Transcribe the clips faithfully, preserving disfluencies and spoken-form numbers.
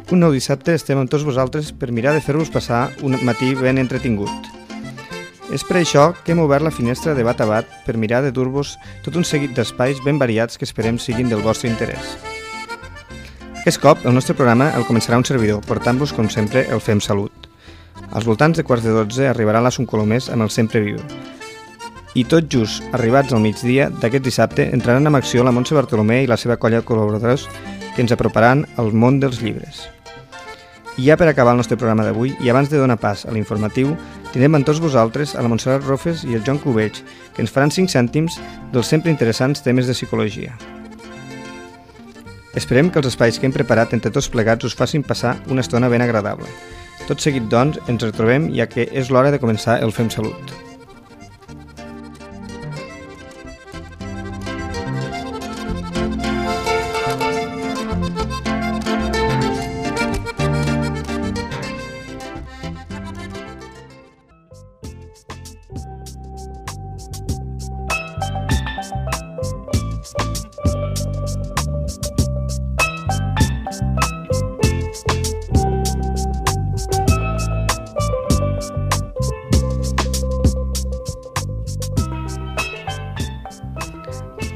Un nou dissabte estem amb tots vosaltres per mirar de fer-vos passar un matí ben entretingut. És per això que hem obert la finestra de bat a bat per mirar de dur-vos tot un seguit d'espais ben variats que esperem siguin del vostre interès. Aquest cop, el nostre programa el començarà un servidor, portant-vos, com sempre, el Fem Salut. Als voltants de quarts de dotze arribarà l'Asun Colomés amb el Sempre Viu. I tot just arribats al migdia d'aquest dissabte entraran en acció la Montse Bartolomé i la seva colla de col·laboradors que ens aproparan al món dels llibres. I ja per acabar el nostre programa d'avui, i abans de donar pas a l'informatiu, tindrem amb tots vosaltres a la Montserrat Rofes i el Joan Cubells, que ens faran cinc cèntims dels sempre interessants temes de psicologia. Esperem que els espais que hem preparat entre tots plegats us facin passar una estona ben agradable. Tot seguit, doncs, ens retrobem ja que és l'hora de començar el Fem Salut.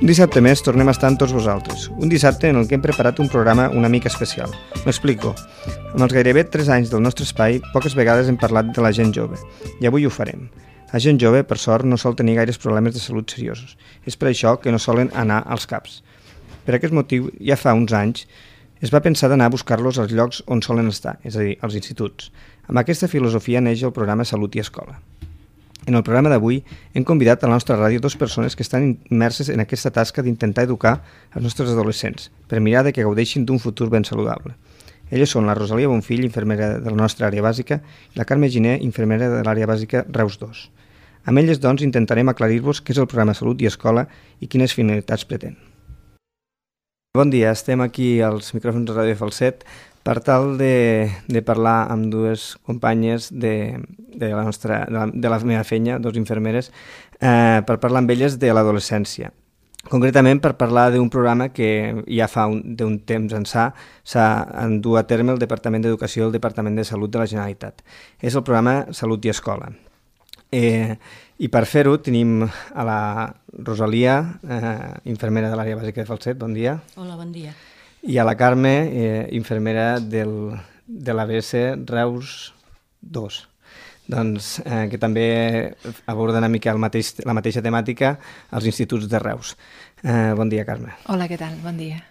Un dissabte més tornem a estar amb tots vosaltres. Un dissabte en el que hem preparat un programa una mica especial. M'explico. Amb els gairebé tres anys del nostre espai, poques vegades hem parlat de la gent jove. I avui ho farem. La gent jove, per sort, no sol tenir gaires problemes de salut seriosos. És per això que no solen anar als caps. Per aquest motiu, ja fa uns anys, es va pensar d'anar a buscar-los als llocs on solen estar, és a dir, als instituts. Amb aquesta filosofia neix el programa Salut i Escola. En el programa d'avui hem convidat a la nostra ràdio dues persones que estan immerses en aquesta tasca d'intentar educar els nostres adolescents per mirar de que gaudeixin d'un futur ben saludable. Elles són la Rosalia Bonfill, infermera de la nostra àrea bàsica, i la Carme Giner, infermera de l'àrea bàsica Reus dos. Amb elles, doncs, intentarem aclarir-vos què és el programa Salut i Escola i quines finalitats pretén. Bon dia, estem aquí als micròfons de Ràdio Falset per tal de, de parlar amb dues companyes de, de, la, nostra, de, la, de la meva feina, dues infermeres, eh, per parlar amb elles de l'adolescència. Concretament per parlar d'un programa que ja fa un, d'un temps ençà s'ha endut a terme el Departament d'Educació i el Departament de Salut de la Generalitat. És el programa Salut i Escola. Eh, I per fer-ho tenim a la Rosalia, eh, infermera de l'àrea bàsica de Falset. Bon dia. Hola, bon dia. I a la Carme, eh, infermera del, de l'A B S Reus dos, doncs, eh, que també aborda una mica el mateix, la mateixa temàtica als instituts de Reus. Eh, bon dia, Carme. Hola, què tal? Bon dia.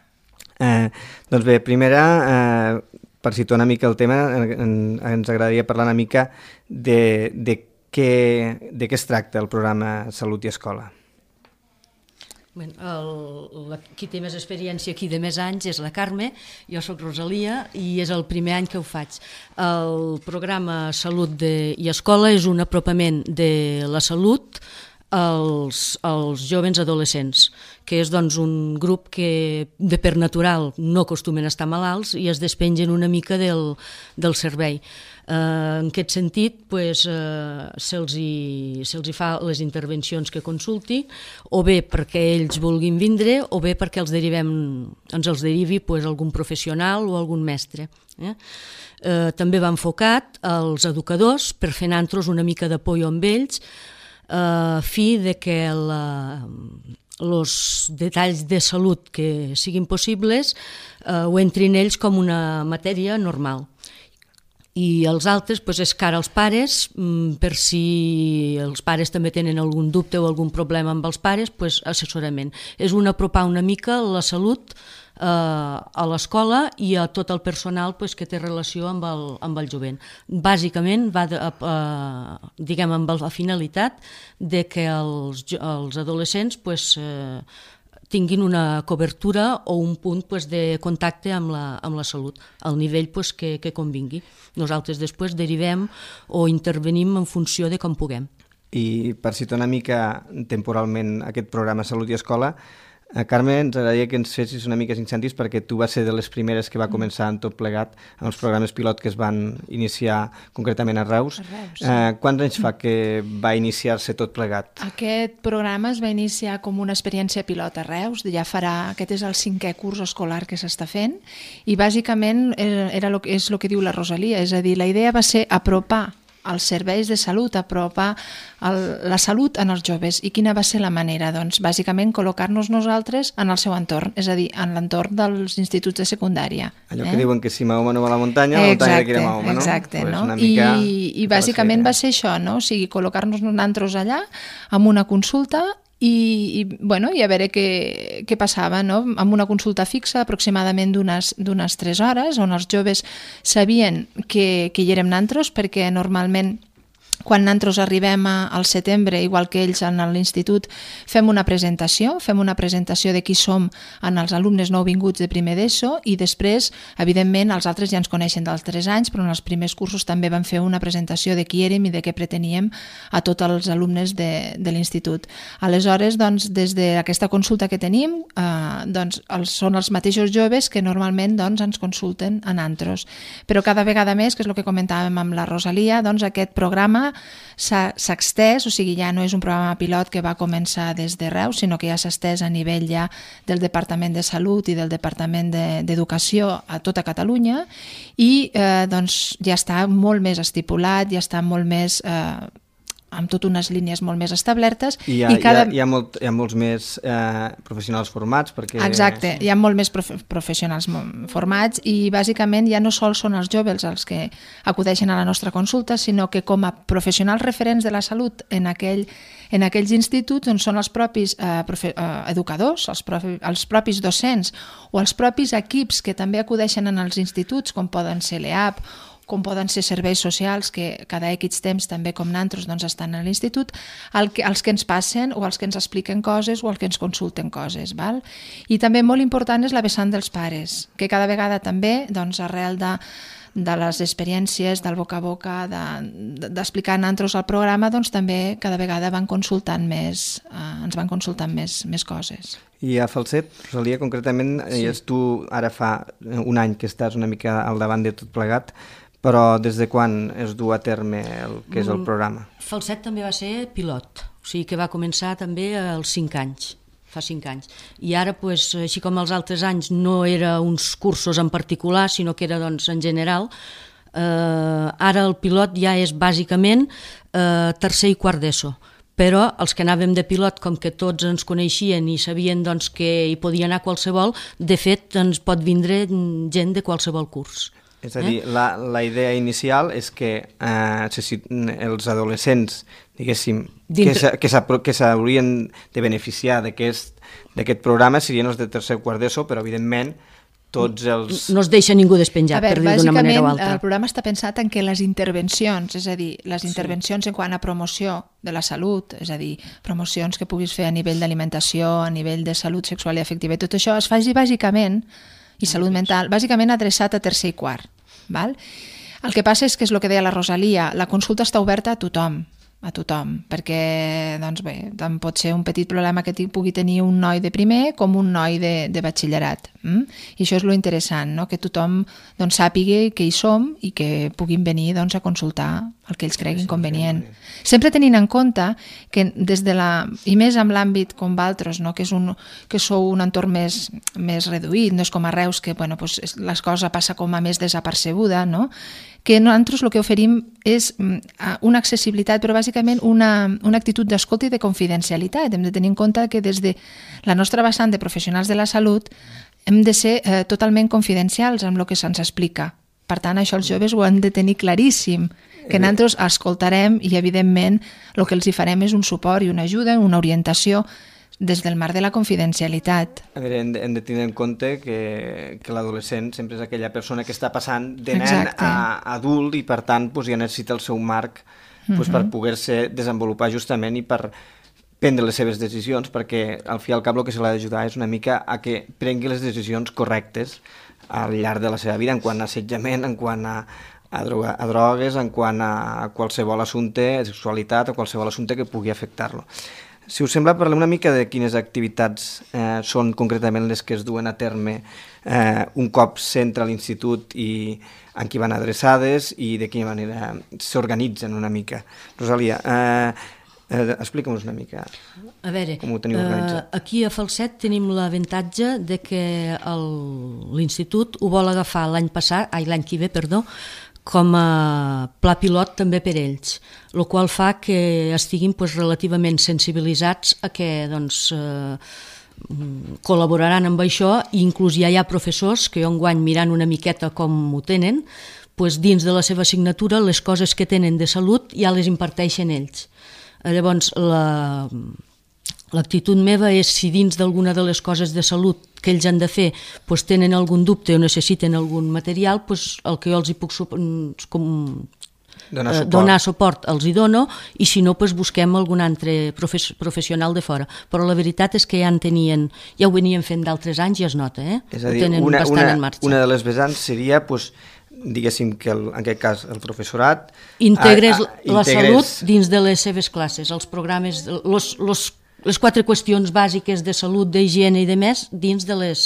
Eh, doncs bé, primera, eh, per situar una mica el tema, en, ens agradaria parlar una mica de, de, què, de què es tracta el programa Salut i Escola. Bueno, el, la, qui té més experiència aquí de més anys és la Carme, jo sóc Rosalia i és el primer any que ho faig. El programa Salut de, i Escola és un apropament de la salut als, als jovens adolescents, que és doncs, un grup que de per natural no acostumen a estar malalts i es despengen una mica del, del servei. Uh, en aquest sentit, pues, uh, se'ls hi, se'ls hi fa les intervencions que consulti, o bé perquè ells vulguin vindre, o bé perquè els derivem, ens els derivi pues, algun professional o algun mestre. Eh? Uh, també va enfocat als educadors per fer nantros una mica d'apoyo amb ells, a uh, fi de que la, els detalls de salut que siguin possibles uh, ho entrin ells com una matèria normal. I els altres pues, és cara als pares, per si els pares també tenen algun dubte o algun problema amb els pares, pues, assessorament. És un apropar una mica la salut eh, a l'escola i a tot el personal pues, que té relació amb el, amb el jovent. Bàsicament va de, eh, diguem, amb la finalitat de que els, els adolescents pues, eh, tinguin una cobertura o un punt pues, de contacte amb la, amb la salut, al nivell pues, que, que convingui. Nosaltres després derivem o intervenim en funció de com puguem. I per citar una mica temporalment aquest programa Salut i Escola, A Carme, ens agradaria que ens fessis una mica incentius perquè tu vas ser de les primeres que va començar en tot plegat en els programes pilot que es van iniciar concretament a Reus. A Reus, sí. eh, quants anys fa que va iniciar-se tot plegat? Aquest programa es va iniciar com una experiència pilot a Reus, ja farà, aquest és el cinquè curs escolar que s'està fent, i bàsicament era lo, és el que diu la Rosalia, és a dir, la idea va ser apropar els serveis de salut, apropar el, la salut en els joves. I quina va ser la manera? Doncs bàsicament col·locar-nos nosaltres en el seu entorn, és a dir, en l'entorn dels instituts de secundària. Allò eh? que diuen que si Mahoma no va a la muntanya, la muntanya exacte, que era Mahoma, no? Exacte, pues no? mica... I, i bàsicament va ser això, no? O sigui, col·locar-nos nosaltres allà amb una consulta i, i, bueno, i a veure què, què passava, no? Amb una consulta fixa aproximadament d'unes tres hores, on els joves sabien que, que hi érem nosaltres, perquè normalment quan nosaltres arribem a, al setembre, igual que ells en l'institut, fem una presentació, fem una presentació de qui som en els alumnes nouvinguts de primer d'ESO i després, evidentment, els altres ja ens coneixen dels tres anys, però en els primers cursos també vam fer una presentació de qui érem i de què preteníem a tots els alumnes de, de l'institut. Aleshores, doncs, des d'aquesta consulta que tenim, eh, doncs, els, són els mateixos joves que normalment doncs, ens consulten a nosaltres. Però cada vegada més, que és el que comentàvem amb la Rosalia, doncs, aquest programa s'ha extès, o sigui, ja no és un programa pilot que va començar des de Reus, sinó que ja s'ha estès a nivell ja del Departament de Salut i del Departament d'Educació de, a tota Catalunya i eh, doncs ja està molt més estipulat, ja està molt més... Eh, amb tot unes línies molt més establertes. I hi ha, i cada... hi ha, hi ha, molt, hi ha molts més eh, professionals formats. Perquè... Exacte, hi ha molt més profe professionals formats i bàsicament ja no sols són els joves els que acudeixen a la nostra consulta, sinó que com a professionals referents de la salut en, aquell, en aquells instituts on són els propis eh, profe eh, educadors, els, profi els propis docents o els propis equips que també acudeixen en els instituts, com poden ser l'E A P, com poden ser serveis socials, que cada X temps també com nosaltres doncs, estan a l'institut, el que, els que ens passen o els que ens expliquen coses o els que ens consulten coses. Val? I també molt important és la vessant dels pares, que cada vegada també, doncs, arrel de, de les experiències, del boca a boca, d'explicar de, de, nosaltres el programa, doncs també cada vegada van consultant més, eh, ens van consultant més, més coses. I a Falset, Rosalia, concretament, sí. És tu ara fa un any que estàs una mica al davant de tot plegat, però des de quan es du a terme el que és el programa? Falset també va ser pilot, o sigui que va començar també als cinc anys, fa cinc anys. I ara, pues, així com els altres anys, no era uns cursos en particular, sinó que era doncs, en general, eh, ara el pilot ja és bàsicament eh, tercer i quart d'ESO. Però els que anàvem de pilot, com que tots ens coneixien i sabien doncs, que hi podia anar qualsevol, de fet ens pot vindre gent de qualsevol curs. És a dir, eh? la, la idea inicial és que eh, els adolescents, diguéssim, Dintre... que s'haurien de beneficiar d'aquest programa serien els de tercer o quart d'ESO, però evidentment tots els... No es deixa ningú despenjat, veure, per dir d'una manera o altra. El programa està pensat en que les intervencions, és a dir, les intervencions sí. en quant a promoció de la salut, és a dir, promocions que puguis fer a nivell d'alimentació, a nivell de salut sexual i afectiva, i tot això es faci bàsicament, i salut mental, bàsicament adreçat a tercer i quart. Val? El que passa és que és el que deia la Rosalia, la consulta està oberta a tothom, a tothom, perquè doncs bé, tant pot ser un petit problema que pugui tenir un noi de primer com un noi de, de batxillerat. Mm? I això és lo interessant, no? Que tothom doncs, sàpiga que hi som i que puguin venir doncs, a consultar el que ells creguin convenient. Sempre tenint en compte que des de la, i més amb l'àmbit com vosaltres, no? que, és un, que sou un entorn més, més reduït, no és com a Reus, que bueno, pues, les coses passa com a més desapercebuda, no? Que nosaltres el que oferim és una accessibilitat, però bàsicament una, una actitud d'escolta i de confidencialitat. Hem de tenir en compte que des de la nostra vessant de professionals de la salut hem de ser eh, totalment confidencials amb el que se'ns explica. Per tant, això els joves ho han de tenir claríssim, que nosaltres escoltarem i, evidentment, el que els hi farem és un suport i una ajuda, una orientació des del marc de la confidencialitat. A veure, hem de, hem de tenir en compte que, que l'adolescent sempre és aquella persona que està passant de nen Exacte. a adult i, per tant, doncs, ja necessita el seu marc doncs, uh-huh. per poder-se desenvolupar justament i per prendre les seves decisions, perquè al fi i al cap el que se l'ha d'ajudar és una mica a que prengui les decisions correctes al llarg de la seva vida, en quant a assetjament, en quant a, a, droga, a drogues, en quant a qualsevol assumpte, a sexualitat, o qualsevol assumpte que pugui afectar-lo. Si us sembla, parlem una mica de quines activitats eh, són concretament les que es duen a terme eh, un cop s'entra a l'institut i en qui van adreçades i de quina manera s'organitzen una mica. Rosalia, eh, eh, explica'm-nos una mica a veure, com ho teniu organitzat. Eh, aquí a Falset tenim l'avantatge de que l'institut ho vol agafar l'any passat, ai, l'any que ve, perdó, com a pla pilot també per ells, el qual fa que estiguin pues, relativament sensibilitzats a que doncs, eh, col·laboraran amb això i inclús ja hi ha professors que jo enguany mirant una miqueta com ho tenen, pues, dins de la seva assignatura les coses que tenen de salut ja les imparteixen ells. Llavors, la... L'actitud meva és si dins d'alguna de les coses de salut que ells han de fer doncs tenen algun dubte o necessiten algun material, doncs el que jo els hi puc com, donar, eh, suport. donar suport els hi dono i si no doncs busquem algun altre profes, professional de fora. Però la veritat és que ja en tenien, ja ho venien fent d'altres anys i es nota, eh? És a dir, ho tenen una, bastant una, en marxa. una de les vessants seria doncs, diguéssim que el, en aquest cas el professorat integres a, a, la integres... salut dins de les seves classes, els programes, los, los les quatre qüestions bàsiques de salut, d'higiene i de més dins de les,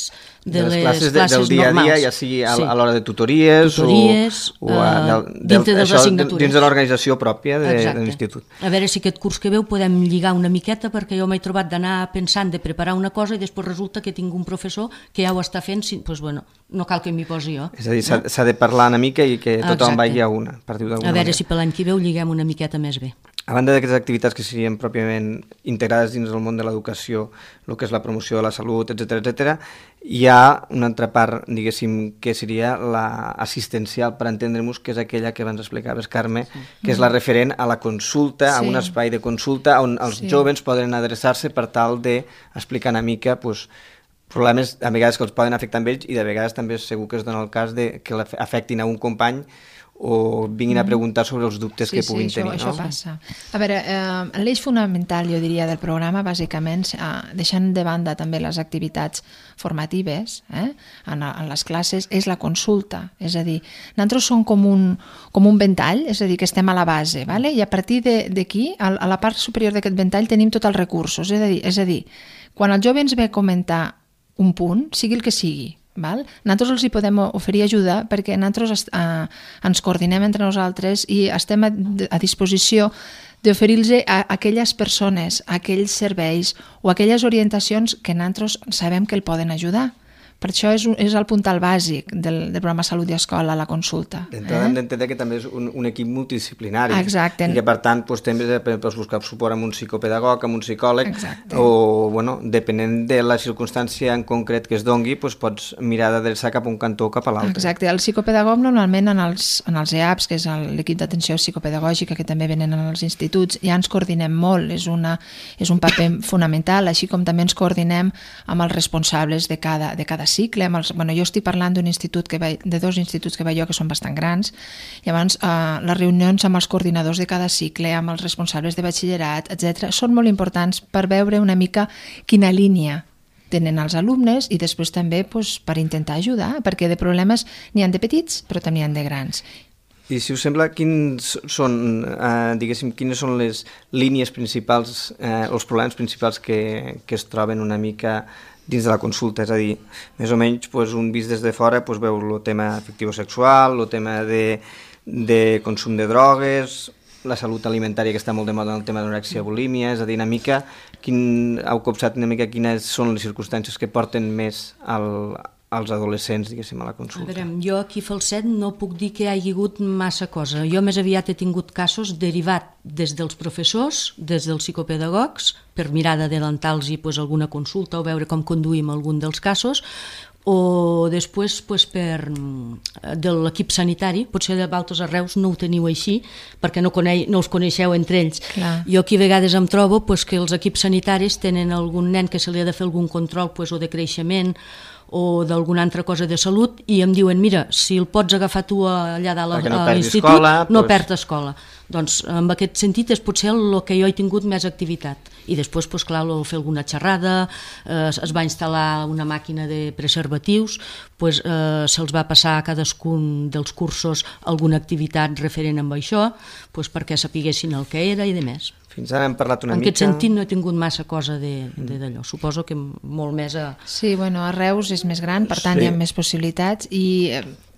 de de les, les classes, classes del dia a dia, ja sigui a, sí. a l'hora de tutories, tutories o, o a, del, uh, dintre de les això, assignatures. Dins de l'organització pròpia de, de l'institut. A veure si aquest curs que veu podem lligar una miqueta, perquè jo m'he trobat d'anar pensant de preparar una cosa i després resulta que tinc un professor que ja ho està fent, doncs, bueno, no cal que m'hi posi jo. És a dir, s'ha no? de parlar una mica i que tothom vagi a una. Per dir-ho d'alguna a veure manera. si per l'any que veu lliguem una miqueta més bé. A banda d'aquestes activitats que serien pròpiament integrades dins del món de l'educació, el que és la promoció de la salut, etcètera, etcètera, hi ha una altra part, diguéssim, que seria l'assistencial, per entendre-nos, que és aquella que abans explicaves, Carme, sí. que és la referent a la consulta, sí. a un espai de consulta on els sí. joves poden adreçar-se per tal d'explicar una mica pues, problemes a vegades que els poden afectar amb ells i de vegades també segur que es dona el cas de que afectin a un company o vinguin a preguntar sobre els dubtes sí, que puguin sí, tenir. Això, no? això passa. A veure, eh, l'eix fonamental, jo diria, del programa, bàsicament, eh, deixant de banda també les activitats formatives eh, en, en les classes, és la consulta. És a dir, nosaltres som com un, com un ventall, és a dir, que estem a la base, vale? I a partir d'aquí, a, a la part superior d'aquest ventall, tenim tots els recursos. És a dir, és a dir, quan el jove ens ve a comentar un punt, sigui el que sigui, val? Nosaltres els hi podem oferir ajuda perquè nosaltres eh, ens coordinem entre nosaltres i estem a, a disposició d'oferir-los a aquelles persones, a aquells serveis o aquelles orientacions que nosaltres sabem que el poden ajudar. Per això és, és el puntal bàsic del, del programa Salut i Escola, la consulta. D'entrada eh? hem d'entendre que també és un, un equip multidisciplinari. Exacte. I que, per tant, doncs, també pots buscar suport amb un psicopedagog, amb un psicòleg, Exacte. o, bueno, depenent de la circumstància en concret que es dongui, doncs, pots mirar d'adreçar cap a un cantó o cap a l'altre. Exacte. El psicopedagog, normalment, en els, en els E A Ps, que és l'equip d'atenció psicopedagògica, que també venen als instituts, ja ens coordinem molt. És, una, és un paper fonamental, així com també ens coordinem amb els responsables de cada, de cada cicle. Amb els, bueno, jo estic parlant d'un institut que vaig, de dos instituts que vaig jo que són bastant grans. Llavors, eh, les reunions amb els coordinadors de cada cicle, amb els responsables de batxillerat, etcètera, són molt importants per veure una mica quina línia tenen els alumnes i després també doncs, per intentar ajudar, perquè de problemes n'hi ha de petits, però també n'hi ha de grans. I si us sembla, quins són, eh, diguéssim, quines són les línies principals, eh, els problemes principals que, que es troben una mica dins de la consulta? És a dir, més o menys doncs, un vist des de fora doncs, veu el tema afectivo-sexual, el tema de, de consum de drogues, la salut alimentària que està molt de moda en el tema d'anorèxia i bulímia, és a dir, una mica, quin, heu copsat una mica quines són les circumstàncies que porten més al, als adolescents, diguéssim, a la consulta. A veure, jo aquí a Falset no puc dir que hi hagi hagut massa cosa. Jo més aviat he tingut casos derivat des dels professors, des dels psicopedagogs, per mirar d'adelantar-los pues, alguna consulta o veure com conduïm algun dels casos, o després pues, per, de l'equip sanitari, potser de Baltes Arreus no ho teniu així, perquè no, coneix, no us coneixeu entre ells. Clar. Jo aquí a vegades em trobo pues, que els equips sanitaris tenen algun nen que se li ha de fer algun control pues, o de creixement o d'alguna altra cosa de salut i em diuen, mira, si el pots agafar tu allà dalt no a l'institut, escola, no doncs... perd escola. Doncs en aquest sentit és potser el que jo he tingut més activitat. I després, doncs, clar, fer alguna xerrada, eh, es va instal·lar una màquina de preservatius, doncs, eh, se'ls va passar a cadascun dels cursos alguna activitat referent amb això, doncs, perquè sapiguessin el que era i de més. Fins ara hem parlat una en mica... En aquest sentit no he tingut massa cosa d'allò. Suposo que molt més a... Sí, bueno, a Reus és més gran, per tant Sí. hi ha més possibilitats i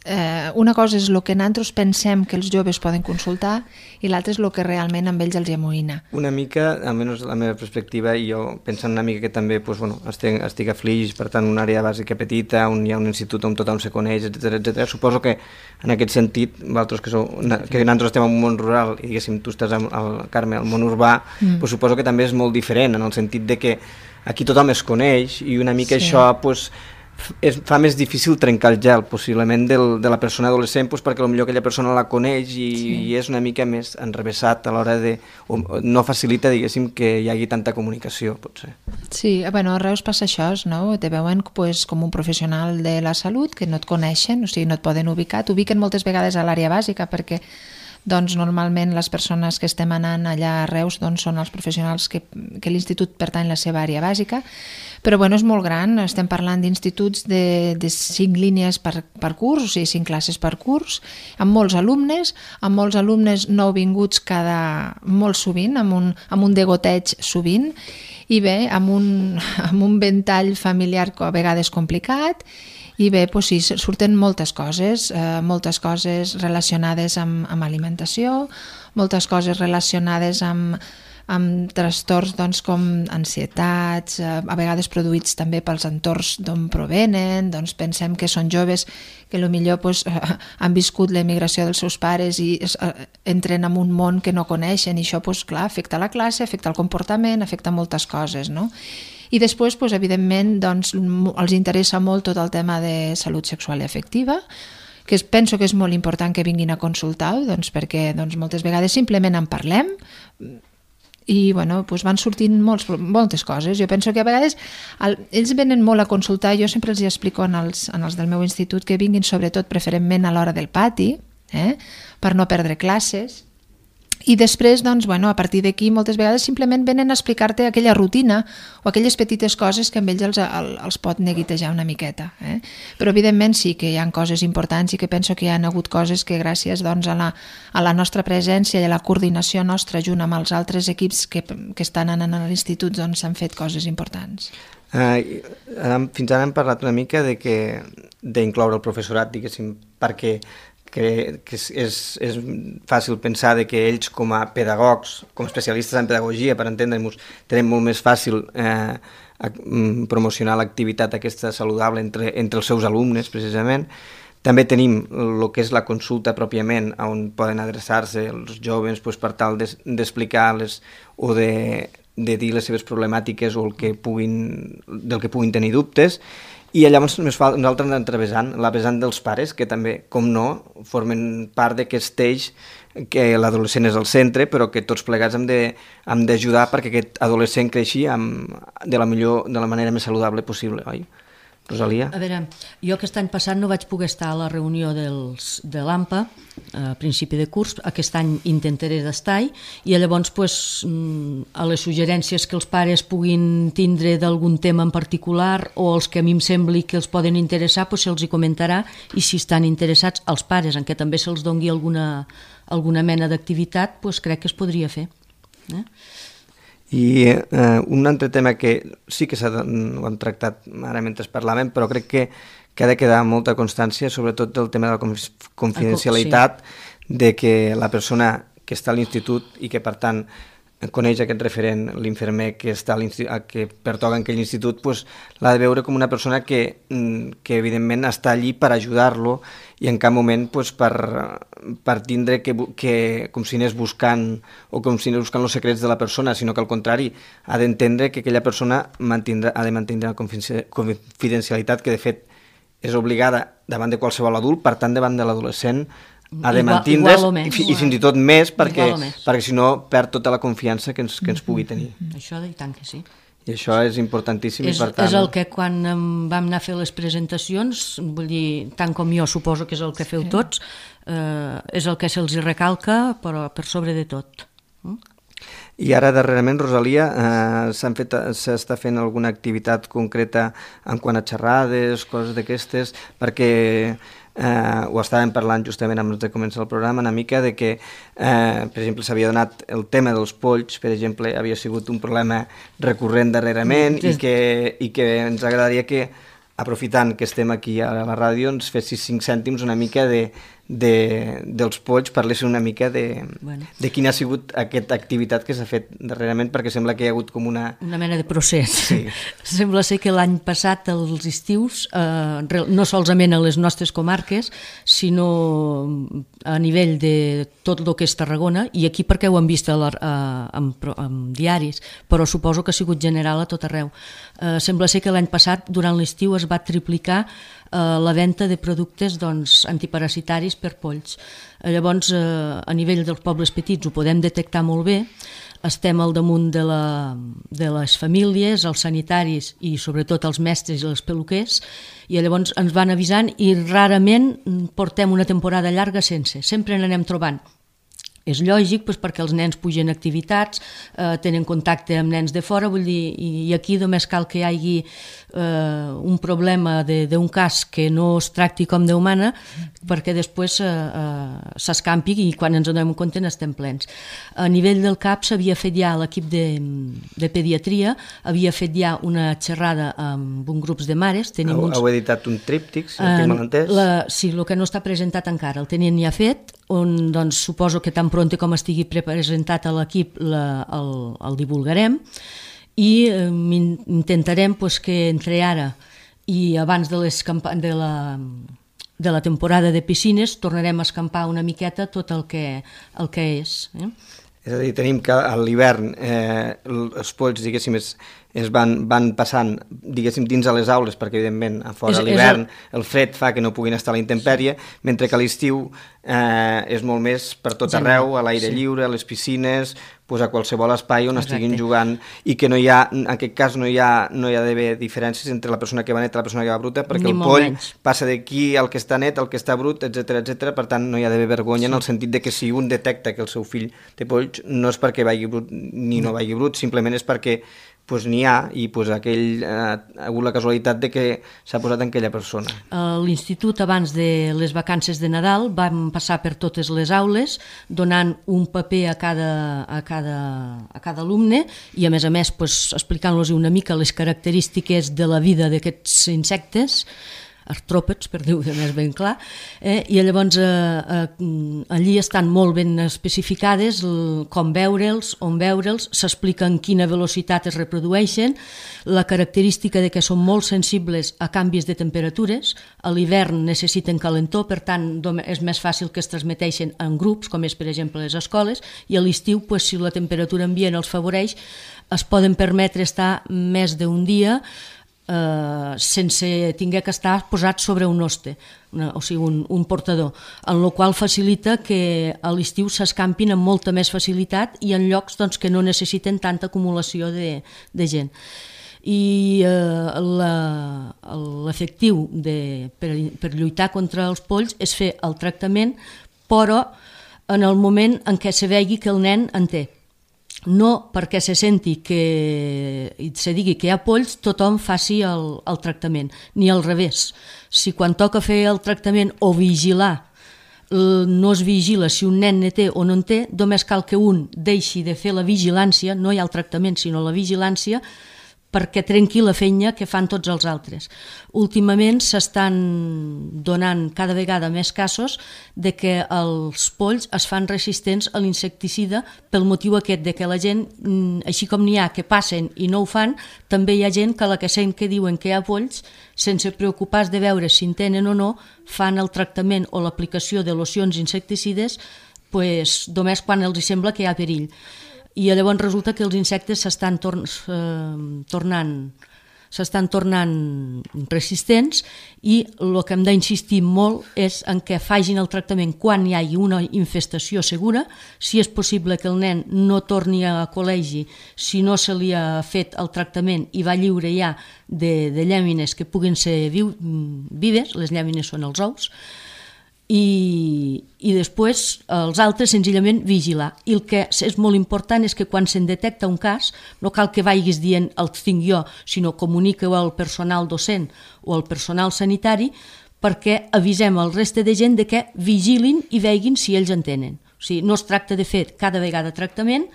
eh, una cosa és el que nosaltres pensem que els joves poden consultar i l'altra és el que realment amb ells els amoïna. Una mica, almenys la meva perspectiva, i jo pensant una mica que també doncs, bueno, estic, estic a Flix, per tant una àrea bàsica petita, on hi ha un institut on tothom se coneix, etcètera etcètera. Suposo que en aquest sentit, vosaltres que, sou, que nosaltres estem en un món rural i diguéssim tu estàs al, al Carme, al món urbà, mm. doncs, suposo que també és molt diferent, en el sentit de que aquí tothom es coneix i una mica sí. això doncs, es fa més difícil trencar el gel possiblement del, de la persona adolescent doncs, perquè potser aquella persona la coneix i, sí. i és una mica més enrevessat a l'hora de... O no facilita, diguéssim, que hi hagi tanta comunicació, potser. Sí, bueno, a Reus passa això, no? Te veuen pues, com un professional de la salut que no et coneixen, o sigui, no et poden ubicar, t'ubiquen moltes vegades a l'àrea bàsica perquè doncs normalment les persones que estem anant allà a Reus doncs, són els professionals que, que l'institut pertany a la seva àrea bàsica, però bueno, és molt gran, estem parlant d'instituts de, de cinc línies per, per curs, o sigui, cinc classes per curs, amb molts alumnes, amb molts alumnes nouvinguts cada, molt sovint, amb un, amb un degoteig sovint, i bé, amb un, amb un ventall familiar a vegades complicat, i bé, doncs sí, surten moltes coses, eh, moltes coses relacionades amb, amb alimentació, moltes coses relacionades amb, amb trastorns doncs, com ansietats, eh, a vegades produïts també pels entorns d'on provenen, doncs pensem que són joves que potser doncs, eh, han viscut l'emigració dels seus pares i es, eh, entren en un món que no coneixen i això doncs, clar, afecta la classe, afecta el comportament, afecta moltes coses, no? I després, doncs, evidentment, doncs, els interessa molt tot el tema de salut sexual i afectiva, que penso que és molt important que vinguin a consultar, doncs, perquè doncs, moltes vegades simplement en parlem i bueno, doncs van sortint molts, moltes coses. Jo penso que a vegades el, ells venen molt a consultar, jo sempre els explico en els, en els del meu institut que vinguin sobretot preferentment a l'hora del pati, eh, per no perdre classes. I després, doncs, bueno, a partir d'aquí, moltes vegades simplement venen a explicar-te aquella rutina o aquelles petites coses que amb ells els, els pot neguitejar una miqueta. Eh? Però, evidentment, sí que hi ha coses importants i que penso que hi ha hagut coses que gràcies doncs, a, la, a la nostra presència i a la coordinació nostra junt amb els altres equips que, que estan anant a l'institut doncs, s'han fet coses importants. Uh, fins ara hem parlat una mica de que d'incloure el professorat, diguéssim, perquè que, que és, és, és fàcil pensar de que ells com a pedagogs, com a especialistes en pedagogia, per entendre-nos, tenen molt més fàcil eh, a, a promocionar l'activitat aquesta saludable entre, entre els seus alumnes, precisament. També tenim el que és la consulta pròpiament, on poden adreçar-se els joves pues, per tal d'explicar-les o de, de dir les seves problemàtiques o el que puguin, del que puguin tenir dubtes. I llavors nosaltres anem travessant la vessant dels pares, que també, com no, formen part d'aquest eix que l'adolescent és al centre, però que tots plegats hem d'ajudar perquè aquest adolescent creixi amb, de, la millor, de la manera més saludable possible, oi? Rosalia? A veure, jo aquest any passat no vaig poder estar a la reunió dels, de l'A M P A a principi de curs, aquest any intentaré d'estar-hi i llavors pues, a les suggerències que els pares puguin tindre d'algun tema en particular o els que a mi em sembli que els poden interessar, pues, se'ls hi comentarà i si estan interessats els pares en què també se'ls doni alguna, alguna mena d'activitat, pues, crec que es podria fer. Eh? I eh, un altre tema que sí que s'ha, ho hem tractat ara mentre parlàvem, però crec que, que ha de quedar molta constància, sobretot del tema de la confidencialitat, sí. De que la persona que està a l'institut i que per tant coneix aquest referent, l'infermer que, està a que pertoca en aquell institut, pues, l'ha de veure com una persona que, que evidentment està allí per ajudar-lo i en cap moment pues, per, per tindre que, que com si anés buscant o com si anés buscant els secrets de la persona, sinó que al contrari ha d'entendre que aquella persona mantindrà, ha de mantenir la confidencialitat que de fet és obligada davant de qualsevol adult, per tant davant de l'adolescent ha de mantindre's i, i fins i tot més perquè, perquè si no perd tota la confiança que ens, que ens pugui tenir. Això i tant que sí. I això és importantíssim. És, i per tant... és el que quan vam anar a fer les presentacions, vull dir, tant com jo suposo que és el que feu sí. tots, eh, és el que se'ls recalca, però per sobre de tot. Mm? I ara darrerament, Rosalia, eh, s'està fent alguna activitat concreta en quant a xerrades, coses d'aquestes, perquè eh, ho estàvem parlant justament abans de començar el programa, una mica de que, eh, per exemple, s'havia donat el tema dels polls, per exemple, havia sigut un problema recurrent darrerament i que, i que ens agradaria que, aprofitant que estem aquí a la ràdio, ens fessis cinc cèntims una mica de, de, dels polls, parlessin una mica de, bueno. de quina ha sigut aquesta activitat que s'ha fet darrerament, perquè sembla que hi ha hagut com una... Una mena de procés. Sí. Sembla ser que l'any passat, els estius, eh, no solament a les nostres comarques, sinó a nivell de tot el que és Tarragona, i aquí perquè ho hem vist a la, a, en, en diaris, però suposo que ha sigut general a tot arreu. Eh, sembla ser que l'any passat, durant l'estiu, es va triplicar eh, la venda de productes doncs, antiparasitaris per polls. Eh, llavors, eh, a nivell dels pobles petits ho podem detectar molt bé, estem al damunt de, la, de les famílies, els sanitaris i sobretot els mestres i els peluquers, i llavors ens van avisant i rarament portem una temporada llarga sense, sempre n'anem trobant. És lògic doncs, perquè els nens pugen activitats, eh, tenen contacte amb nens de fora, vull dir, i, i aquí només cal que hi hagi eh, un problema d'un cas que no es tracti com Déu mana, perquè després eh, eh, s'escampi i quan ens en donem compte n'estem plens. A nivell del C A P s'havia fet ja l'equip de, de pediatria, havia fet ja una xerrada amb un grup de mares. Tenim heu, uns... heu editat un tríptic, si no tinc mal entès? La, sí, el que no està presentat encara, el tenien ja fet, on doncs, suposo que tan pronte com estigui presentat a l'equip el, el divulgarem i eh, intentarem pues, que entre ara i abans de, les de, la, de la temporada de piscines tornarem a escampar una miqueta tot el que, el que és. Eh? És a dir, tenim que a l'hivern eh, els polls, diguéssim, es, es van, van passant, diguéssim, dins a les aules, perquè, evidentment, a fora a l'hivern el... el fred fa que no puguin estar a la intempèrie, mentre que a l'estiu eh, és molt més per tot arreu, a l'aire sí. lliure, a les piscines, pues a qualsevol espai on Exacte. Estiguin jugant, i que no hi ha, en aquest cas no hi ha, no hi ha d'haver diferències entre la persona que va net i la persona que va bruta, perquè Ni el poll menys. Passa d'aquí al que està net, al que està brut, etcètera, etcètera. Per tant, no hi ha d'haver vergonya sí. en el sentit de que si un detecta que el seu fill té polls, no és perquè vagi brut ni no, no vagi brut, simplement és perquè pues, n'hi ha i pues, aquell, eh, ha hagut la casualitat de que s'ha posat en aquella persona. A l'institut, abans de les vacances de Nadal, vam passar per totes les aules donant un paper a cada, a cada, a cada alumne i, a més a més, pues, explicant-los una mica les característiques de la vida d'aquests insectes, artròpods, per dir-ho més ben clar, eh? I llavors eh, eh, allí estan molt ben especificades el, com veure'ls, on veure'ls, s'explica en quina velocitat es reprodueixen, la característica de que són molt sensibles a canvis de temperatures, a l'hivern necessiten calentor, per tant és més fàcil que es transmeteixen en grups, com és per exemple les escoles, i a l'estiu, pues, si la temperatura ambient els favoreix, es poden permetre estar més d'un dia Uh, sense tinguer que estar posat sobre un hoste, una, o sigui, un, un portador, en la qual facilita que a l'estiu s'escampin amb molta més facilitat i en llocs doncs, que no necessiten tanta acumulació de, de gent. I uh, l'efectiu per, per lluitar contra els polls és fer el tractament, però en el moment en què se vegi que el nen en té. No perquè se senti que i se digui que hi ha polls, tothom faci el, el tractament, ni al revés. Si quan toca fer el tractament o vigilar no es vigila si un nen ne té o no en té, només cal que un deixi de fer la vigilància, no hi ha el tractament sinó la vigilància, perquè trenqui la feina que fan tots els altres. Últimament s'estan donant cada vegada més casos de que els polls es fan resistents a l'insecticida pel motiu aquest de que la gent, així com n'hi ha que passen i no ho fan, també hi ha gent que la que sent que diuen que hi ha polls, sense preocupar-se de veure si en tenen o no, fan el tractament o l'aplicació de locions insecticides pues, només quan els sembla que hi ha perill. I llavors resulta que els insectes s'estan tor eh, tornant s'estan tornant resistents i el que hem d'insistir molt és en què facin el tractament quan hi hagi una infestació segura, si és possible que el nen no torni a col·legi si no se li ha fet el tractament i va lliure ja de, de llàmines que puguin ser viu, vives, les llàmines són els ous, I, i després els altres senzillament vigilar. I el que és molt important és que quan se'n detecta un cas no cal que vagis dient el tinc jo, sinó comunica-ho al personal docent o al personal sanitari perquè avisem el reste de gent de que vigilin i veguin si ells entenen. O sigui, no es tracta de fer cada vegada tractament,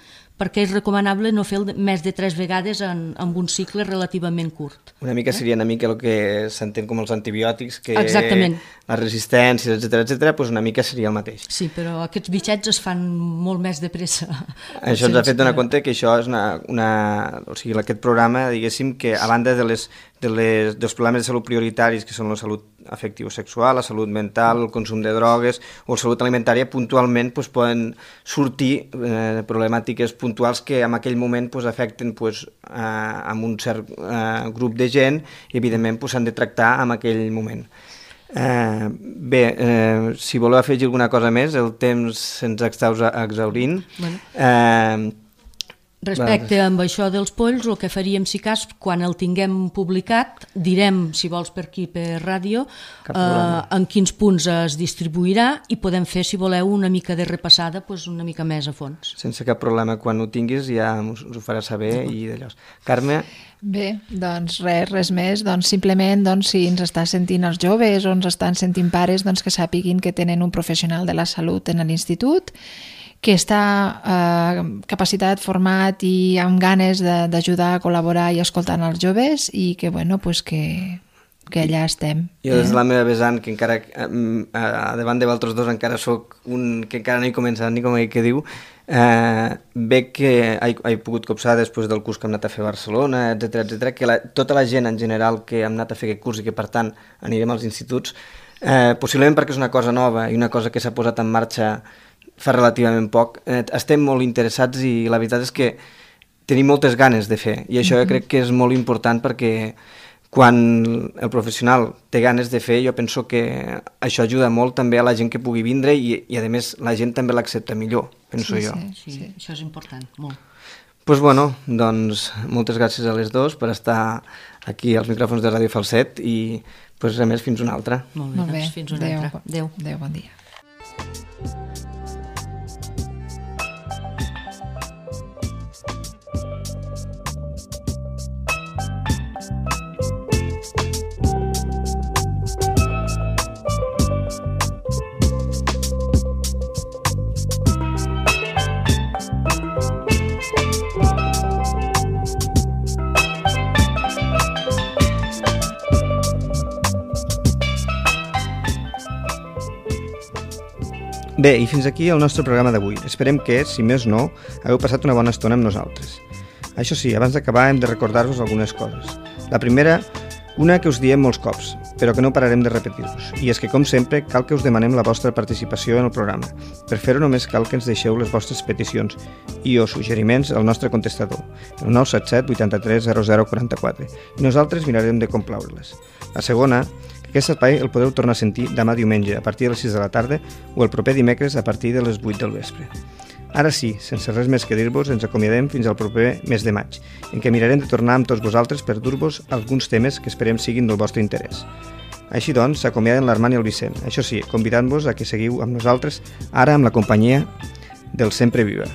perquè és recomanable no fer més de tres vegades en, en un cicle relativament curt. Una mica seria una mica el que s'entén com els antibiòtics, que Exactament. les resistències, etcètera, etcètera, doncs una mica seria el mateix. Sí, però aquests bitxets es fan molt més de pressa. Això ens ha fet donar compte que això és una... una o sigui, aquest programa, diguéssim, que a banda de les, de les, dels problemes de salut prioritaris, que són la salut afectivo-sexual, la salut mental, el consum de drogues o la salut alimentària, puntualment doncs, poden sortir eh, problemàtiques puntuals que en aquell moment doncs, afecten doncs, eh, amb un cert eh, grup de gent i evidentment s'han doncs, de tractar en aquell moment. Eh, bé, eh, si voleu afegir alguna cosa més, el temps se'ns està exhaurint. Bueno. Eh, Respecte amb això dels polls, el que faríem, si cas, quan el tinguem publicat, direm, si vols per aquí, per ràdio, eh, en quins punts es distribuirà i podem fer, si voleu, una mica de repassada, doncs una mica més a fons. Sense cap problema, quan ho tinguis ja us ho faràs saber i d'allò. Carme? Bé, doncs res, res més, doncs simplement doncs, si ens està sentint els joves o ens estan sentint pares, doncs que sàpiguin que tenen un professional de la salut en l'institut, que està eh, capacitat, format i amb ganes d'ajudar a col·laborar i escoltant els joves i que, bueno, pues que, que allà estem. Jo des de la meva vessant, que encara, eh, davant de vosaltres dos encara soc un que encara no he començat ni com que diu, eh, veig que he, he pogut copsar després del curs que hem anat a fer a Barcelona, etcètera, etcètera, que la, tota la gent en general que hem anat a fer aquest curs i que per tant anirem als instituts, eh, possiblement perquè és una cosa nova i una cosa que s'ha posat en marxa fa relativament poc, eh, estem molt interessats i la veritat és que tenim moltes ganes de fer i això jo crec que és molt important perquè quan el professional té ganes de fer jo penso que això ajuda molt també a la gent que pugui vindre i, i a més la gent també l'accepta millor, penso sí, jo. Sí, sí, sí, això és important, molt. Doncs pues bueno, doncs moltes gràcies a les dos per estar aquí als micròfons de Ràdio Falset i pues, res més, fins una altra. Molt bé, Molt bé. doncs fins una Adéu. altra. Adéu. Adéu, bon dia. Bé, i fins aquí el nostre programa d'avui. Esperem que, si més no, hagueu passat una bona estona amb nosaltres. Això sí, abans d'acabar hem de recordar-vos algunes coses. La primera, una que us diem molts cops, però que no pararem de repetir-vos. I és que, com sempre, cal que us demanem la vostra participació en el programa. Per fer-ho només cal que ens deixeu les vostres peticions i o suggeriments al nostre contestador, el nou set set vuitanta-tres zero zero quaranta-quatre, i nosaltres mirarem de complaure-les. La segona, aquest espai el podeu tornar a sentir demà diumenge a partir de les sis de la tarda o el proper dimecres a partir de les vuit del vespre. Ara sí, sense res més que dir-vos, ens acomiadem fins al proper mes de maig, en què mirarem de tornar amb tots vosaltres per dur-vos alguns temes que esperem siguin del vostre interès. Així doncs, s'acomiaden l'Armand i el Vicent. Això sí, convidant-vos a que seguiu amb nosaltres ara amb la companyia del Sempre Viva.